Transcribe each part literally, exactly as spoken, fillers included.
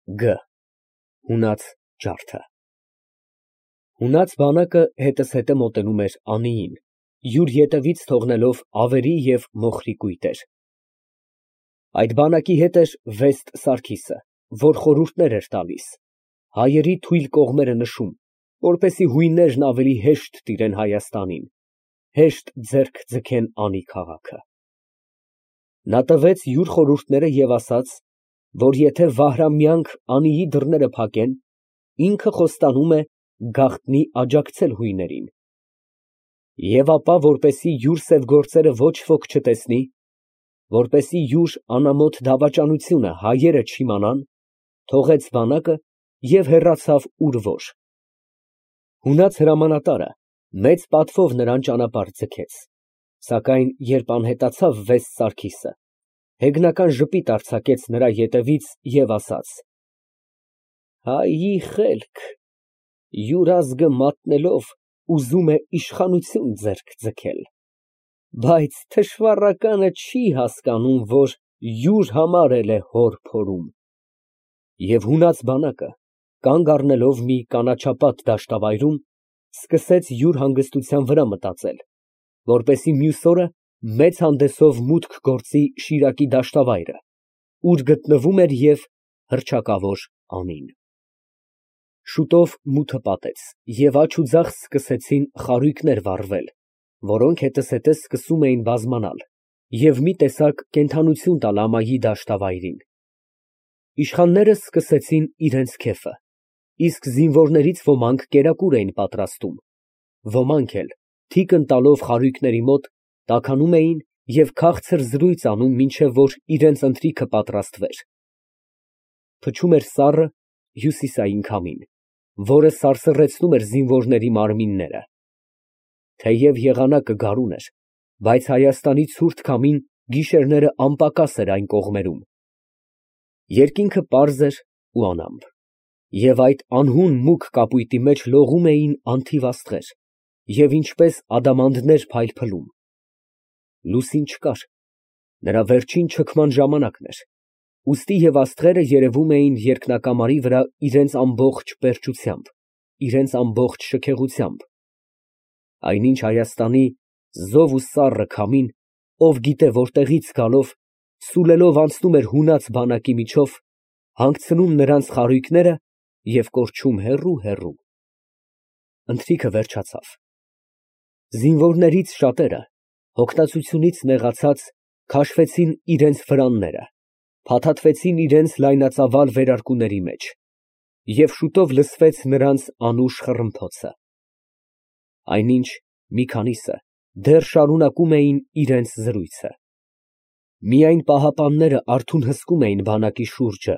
Գ Հունած ջարդը Հունած բանակը հետզհետե մոտենում էր Անիին, յուր ետևից թողնելով ավերի և մոխրի կույտեր. այդ բանակի հետ էր Վեստ Սարգիսը, որ խորհուրդներ էր տալիս, հայերի թույլ կողմերը նշում, որպեսզի հույններն ավելի հեշտ տիրեն Հայաստանին, հեշտ ձեռք ձգեն Անի քաղաքը։ Նա տվեց յուր խորհուրդները և ասաց, որ եթե Վահրամյանք Անիի դռները փակեն, ինքը խոստանում է գաղտնի աջակցել հույներին։ Եվ ապա, որպեսզի յուր սև գործերը ոչ ոք չտեսնի, որպեսզի յուր անամոթ դավաճանությունը հայերը չիմանան, թողեց բանակը և հեռացավ ուր որ։ Հունած հրամանատարը մեծ պատվով նրան ճանապարհ ձգեց, սակայն երբ անհետացավ Վեստ Սարգիսը, հեգնական ժպիտ արձակեց նրա ետևից և ասաց. «Հայի խելք, յուր ազգը մատնելով, ուզում է իշխանություն ձեռք ձգել, բայց թշվառականը չի հասկանում, որ յուր համար էլ է հոր փորում»։ Եվ հունած բանակը, կանգ առնելով մի կանաչապատ դաշտավայրում, սկսեց յուր հանգստության վրա մտածել, որպեսզի մյուս օրը մեծ հանդեսով մուտք գործի Շիրակի դաշտավայրը, ուր գտնվում էր և հռչակավոր Անին։ Շուտով մութը պատեց, և աջ ու ձախ սկսեցին խարույկներ վառվել, որոնք հետզհետե սկսում էին բազմանալ և մի տեսակ կենդանություն տալ ամայի դաշտավայրին։ Իշխանները սկսեցին իրանց քեֆը, իսկ զինվորներից ոմանք կերակուր էին պատրաստում, ոմանք էլ, թիկն տալով խարույկների մոտ, տաքանում էին և քաղցր զրույց անում, մինչև որ իրանց ընթրիքը պատրաստվեր։ Փչում էր սառը, հյուսիսային քամին, որը սարսռեցնում էր զինվորների մարմինները։ Թեև եղանակը գարուն էր, բայց Հայաստանի ցուրտ քամին գիշերները անպակաս էր այն կողմերում։ Երկինքը պարզ էր ու անամպ, և այդ անհուն մուգ կապույտի մեջ լողում էին անթիվ աստղեր և ինչպես ադամանդներ փայլփլում։ Լուսին չկար, նրա վերջին չքման ժամանակն էր, ուստի և աստղերը երևում էին երկնակամարի վրա իրենց ամբողջ պերճությամբ, իրենց ամբողջ շքեղությամբ։ Այնինչ Հայաստանի զով ու սառը քամին, ով գիտե որտեղից գալով, սուլելով անցնում էր հունած բանակի միջով, հանգցնում նրանց խարույկները և կորչում հեռու֊հեռու։ Ընթրիքը վերջացավ։ Զինվորներից շատերը, հոգնածությունից նեղացած, քաշվեցին իրենց վրանները, փաթաթվեցին իրենց լայնածավալ վերարկուների մեջ, և շուտով լսվեց նրանց անուշ խռմփոցը։ Այնինչ մի քանիսը դեռ շարունակում էին իրենց զրույցը։ Միայն պահապանները արթուն հսկում էին բանակի շուրջը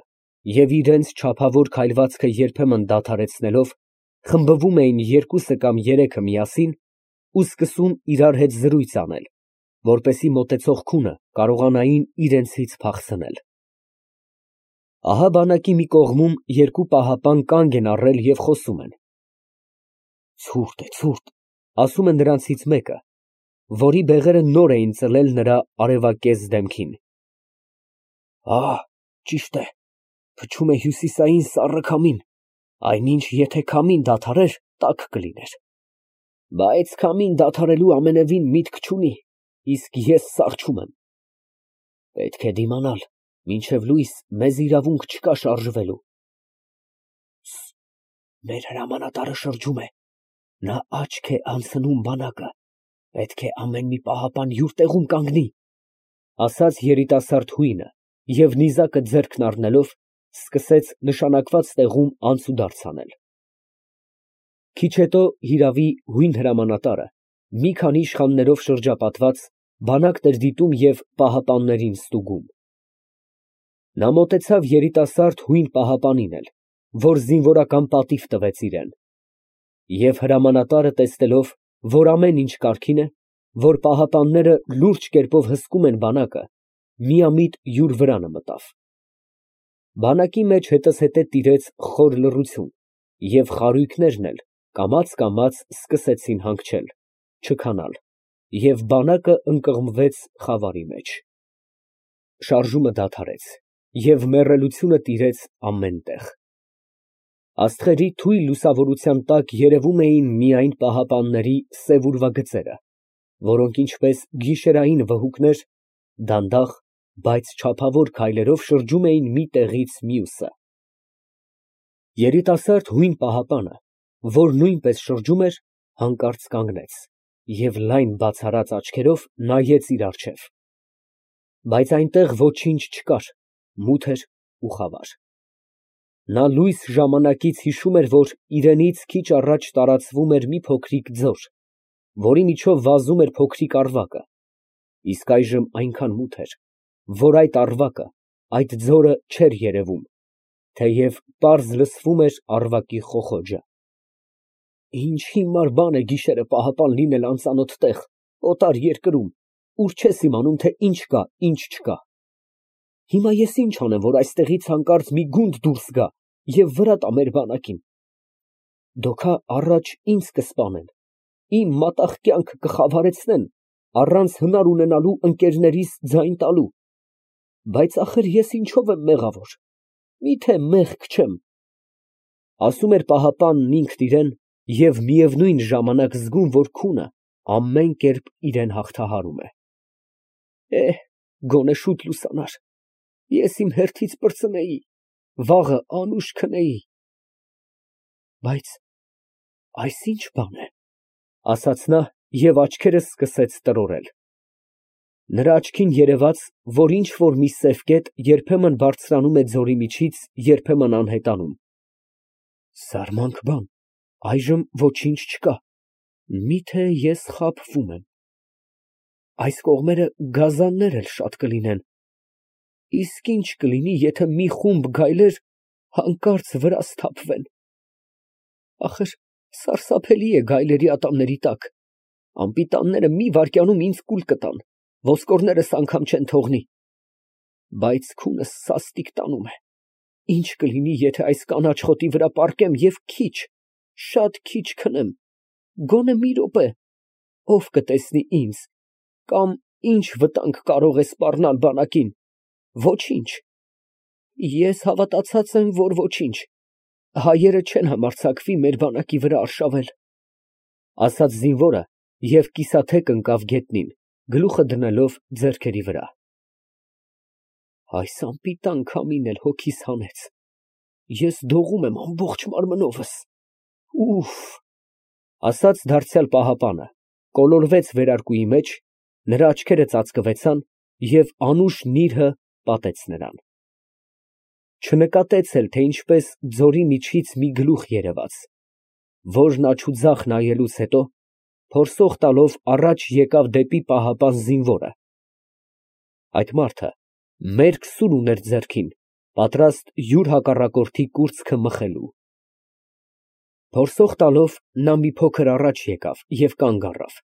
և իրենց չափավոր քայլվածքը երբեմն դադարեցնելով, խմբվում էին երկուսը կամ երեքը միասին ու սկսում իրար հետ զրույց անել, որպեսզի մոտեցող քունը կարողանային իրենցից փախցնել։ Ահա բանակի մի կողմում երկու պահապան կանգ են առել և խոսում են։ «Ցուրտ է, ցուրտ», ֊ ասում է նրանցից մեկը, որի բեղերը նոր էին ծլել նրա արևակեզ դեմքին։ «Ահ, ճիշտ է, փչում է հյուսիսային սառը քամին, այնինչ եթե քամին դադարեր, տաք կլիներ։ Բայց քամին դադարելու ամենևին միտք չունի, իսկ ես սառչում եմ։ Պետք է դիմանալ, մինչև լույս մեզ իրավունք չկա շարժվելու»։ Մեր հրամանատարը շրջում է, նա աչք է անցնում բանակը, պետք է ամեն մի պահապան յուր տեղում կանգնի, ֊ ասաց երիտասարդ հույնը և նիզակը ձեռքն առնելով, սկսեց նշանակված տեղում անցուդարձ անել։ Քիչ հետո, հիրավի, հույն հրամանատարը, մի քանի իշխաններով շրջապատված, բանակն էր դիտում և պահապաններին ստուգում։ Նա մոտեցավ երիտասարդ հույն պահապանին էլ, որ զինվորական պատիվ տվեց իրան, և հրամանատարը տեսնելով, որ ամեն ինչ կարգին է, որ պահապանները լուրջ կերպով հսկում են բանակը, միամիտ յուր վրանը մտավ։ Բանակի մեջ հետզհետե տիրեց խոր լռություն, և խարույկներն էլ կամաց֊կամաց սկսեցին հանգչել, չքանալ, և բանակը ընկղմվեց խավարի մեջ։ Շարժումը դադարեց, և մեռելությունը տիրեց ամեն տեղ։ Աստղերի թույլ լուսավորության տակ երևում էին միայն պահապանների սև ուրվագծերը, որոնք ինչպես գիշերային վհուկներ, դանդաղ, բայց չափավոր քայլերով շրջում էին մի տեղից մյուսը։ Երիտասարդ հույն պահապանը, որ նույնպես շրջում էր, հանկարծ կանգնեց և լայն բացառած աչքերով նայեց իր առջև, բայց այնտեղ ոչինչ չկար, մութ էր ու խավար։ Նա լույս ժամանակից հիշում էր, որ իրենից քիչ առաջ տարածվում էր մի փոքրիկ ձոր, որի միջով վազում էր փոքրիկ առվակը, իսկ այժմ այնքան մութ էր, որ այդ առվակը, այդ ձորը չէր երևում, թեև պարզ լսվում էր առվակի խոխոջը։ Ինչ հիմար բան է գիշերը պահապան լինել անծանոթ տեղ, օտար երկրում, ուր չես իմանում, թե ինչ կա, ինչ չկա։ Հիմա ես ինչ անեմ, որ այստեղից հանկարծ մի գունդ դուրս գա և վրա տա մեր բանակին։ Դոքա առաջ ինձ կսպանեն, իմ մատաղ կյանքը կխավարեցնեն, առանց հնար ունենալու ընկերներիս ձայն տալու։ Բայց ախր ես ինչո՞վ եմ մեղավոր, միթե մեղք չեմ։ Ասում էր պահապանն ինքն իրան և միևնույն ժամանակ զգում, որ քունը ամեն կերպ իրան հաղթահարում է։ Էհ, գոնե շուտ լուսանար, ես իմ հերթից պրծնեի, վաղը անուշ քնեի։ Բայց այս ի՞նչ բան է, ասաց նա և աչքերը սկսեց տրորել։ Նրա աչքին երևաց, որ ինչ֊որ մի սև կետ երբեմն բարձրանում է ձորի միջից, երբեմն անհետանում։ Զարմանք բան, այժմ ոչինչ չկա, միթե ես խաբվում եմ։ Այս կողմերը գազաններ էլ շատ կլինեն, իսկ ի՞նչ կլինի, եթե մի խումբ գայլեր հանկարծ վրաս թափվեն։ Ախր սարսափելի է գայլերի ատամների տակ, անպիտանները մի վայրկյանում ինձ կուլ կտան, ոսկորներս անգամ չեն թողնի։ Բայց քունս սաստիկ տանում է, ինչ կլինի, եթե այս կանաչ խոտի վրա պառկեմ և քիչ, շատ քիչ քնեմ, գոնե մի րոպե, ով կտեսնի ինձ, կամ ինչ վտանգ կարող է սպառնալ բանակին, ոչինչ։ Ես հավատացած եմ, որ ոչինչ, հայերը չեն համարձակվի մեր բանակի վրա արշավել, ասաց զինվորը և կիսաթեք ընկավ գետնին, գլուխը դնելով ձեռքերի վրա։ Այս անպիտան քամին էլ հոգիս հանեց, ես դողում եմ ամբողջ մարմնովս, ուֆ, ասաց դարձյալ պահապանը, կոլորվեց վերարկուի մեջ, նրա աչքերը ծածկվեցան և անուշ նիրհը պատեց նրան։ Չնկատեց էլ, թե ինչպես ձորի միջից մի գլուխ երևաց, որն աջուձախ նայելուց հետո փորսող տալով առաջ եկավ դեպի պահապան զինվորը։ Այդ մարդը մերկ սուր ուներ ձեռքին, պատրաստ յուր հակառակորդի կուրծքը մխելու։ Փորսող տալով նա մի փոքր առաջ եկավ և կանգ առավ,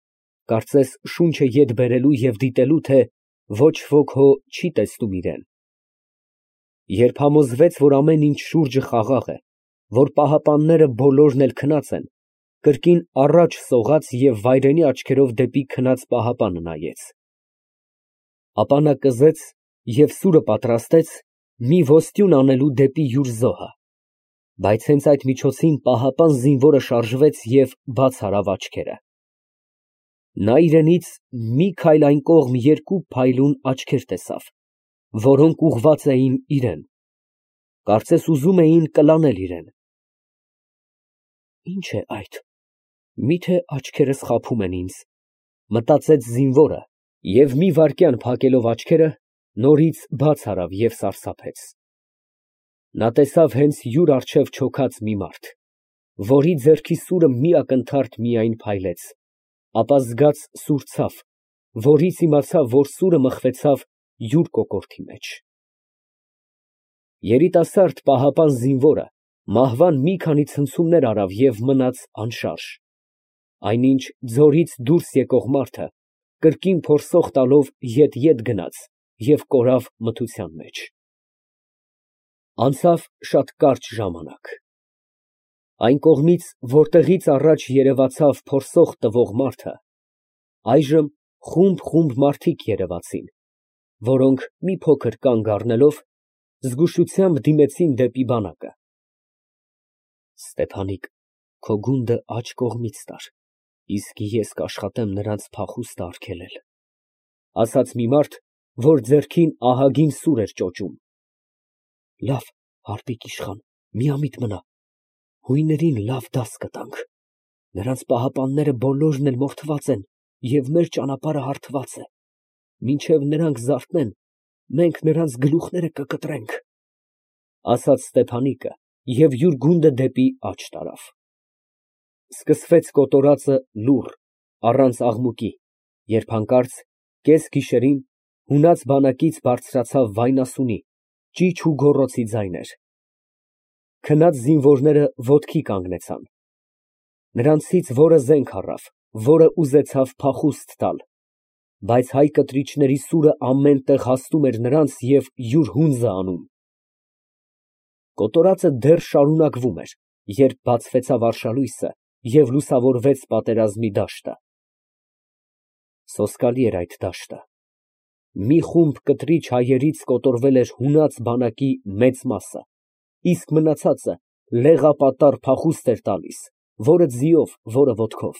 կարծես շունչը ետ բերելու և դիտելու, թե ոչ ոք հո չի տեսնում իրան։ Երբ համոզվեց, որ ամեն ինչ շուրջը խաղաղ է, որ պահապանները բոլորն էլ քնած են, կրկին առաջ սողաց և վայրենի աչքերով դեպի քնած պահապանը նայեց։ Ապա նա կզեց և սուրը պատրաստեց մի ոստյուն անելու դեպի յուր զոհը, բայց հենց այդ միջոցին պահապան զինվորը շարժվեց և բաց արավ աչքերը։ Նա իրենից մի քայլ այն կողմ երկու փայլուն աչքեր տեսավ, որոնք ուղղված էին իրան, կարծես ուզում էին կլանել իրան։ Ի՞նչ է այդ, միթե աչքերս խաբում են ինձ, մտածեց զինվորը և մի վայրկյան փակելով աչքերը, նորից բաց արավ և սարսափեց։ Նա տեսավ հենց յուր առջև չոքած մի մարդ, որի ձեռքի սուրը մի ակնթարթ միայն փայլեց, ապա զգաց սուր ցավ, որից իմացավ, որ սուրը մխվեցավ յուր կոկորդի մեջ։ Երիտասարդ պահապան զինվորը մահվան մի քանի ցնցումներ արավ և մնաց անշարժ, այնինչ ձորից դուրս եկող մարդը կրկին փորսող տալով ետ֊ետ գնաց և կորավ մթության մեջ։ Անցավ շատ կարճ ժամանակ։ Այն կողմից, որտեղից առաջ երևացավ փորսող տվող մարդը, այժմ խումբ֊խումբ մարդիկ երևացին, որոնք մի փոքր կանգ առնելով, Զգուշությամբ դիմեցին դեպի բանակը։ Ստեփանիկ, քո գունդը աջ կողմից տար, իսկ ես կաշխատեմ նրանց փախուստը արգելել, ասաց մի մարդ, որ ձեռքին ահագին սուր էր ճոճում։ Լավ, հարկիկ իշխան, միամիտ մնա, հույներին լավ դաս կտանք, նրանց պահապանները բոլորն էլ մորթված են և մեր ճանապարհը հարթված է, մինչև նրանք զարթնեն, մենք նրանց գլուխները կկտրենք, ասաց Ստեփանիկը և յուր գունդը դեպի աջ տարավ։ Սկսվեց կոտորածը լուռ, առանց աղմուկի, երբ հանկարծ կես գիշերին հունած բանակից բարձրացավ վայնասունի, ճիչ ու գոռոցի ձայներ։ Քնած զինվորները ոտքի կանգնեցան։ Նրանցից որը զենք առավ, որը ուզեցավ փախուստ տալ, բայց հայ կտրիչների սուրը ամեն տեղ հասնում էր նրանց և յուր հունձը անում։ Կոտորածը դեռ շարունակվում էր, երբ բացվեցավ արշալույսը և լուսավորվեց պատերազմի դաշտը։ Սոսկալի էր այդ դաշտը։ Մի խումբ կտրիչ հայերից կոտորվել էր հունած բանակի մեծ մասը, իսկ մնացածը լեղապատառ փախուստ էր տալիս, որը ձիով, որը ոտքով։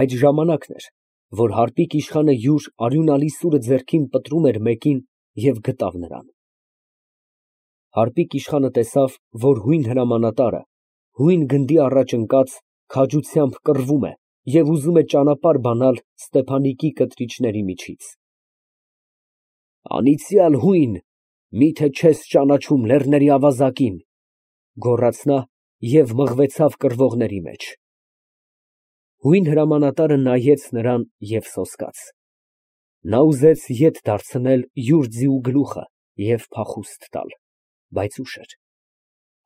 Այդ ժամանակն էր, որ հարկիկ իշխանը յուր արյունալի սուրը ձեռքին պտրում էր մեկին և գտավ նրան։ Հարկիկ իշխանը տեսավ, որ հույն հրամանատարը, հույն գնդի առաջ ընկած, քաջությամբ կռվում է և ուզում է ճանապարհ բանալ Ստեփանիկի կտրիչների միջից։ Անիծյալ հույն, մի՞թե չես ճանաչում լեռների ավազակին, գոռաց նա և մղվեցավ կռվողների մեջ։ Հույն հրամանատարը նայեց նրան և սոսկաց։ Նա ուզեց ետ դարձնել յուր ձիու գլուխը և փախուստ տալ, բայց ուշ էր։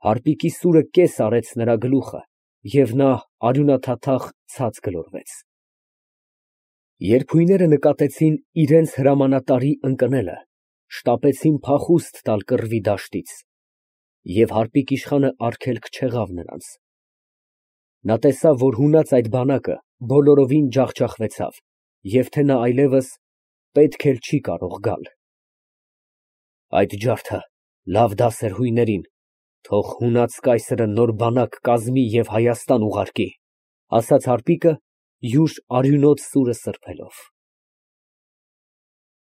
Հարկիկի սուրը կես արեց նրա գլուխը, և նա արյունաթաթախ ցած գլորվեց։ Երբ հույները նկատեցին իրենց հրամանատարի ընկնելը, շտապեցին փախուստ տալ կռվի դաշտից, և հարկիկ իշխանը արգելք չեղավ նրանց։ Նա տեսավ, որ հունած այդ բանակը բոլորովին ջախջախվեցավ և թե նա այլևս պետք էլ չի կարող գալ։ Այդ ջարդը լավ դաս էր հույներին, թող հունած կայսրը նոր բանակ կազմի և Հայաստան ուղարկի, ասաց հարկիկը յուր արյունոտ սուրը սրբելով։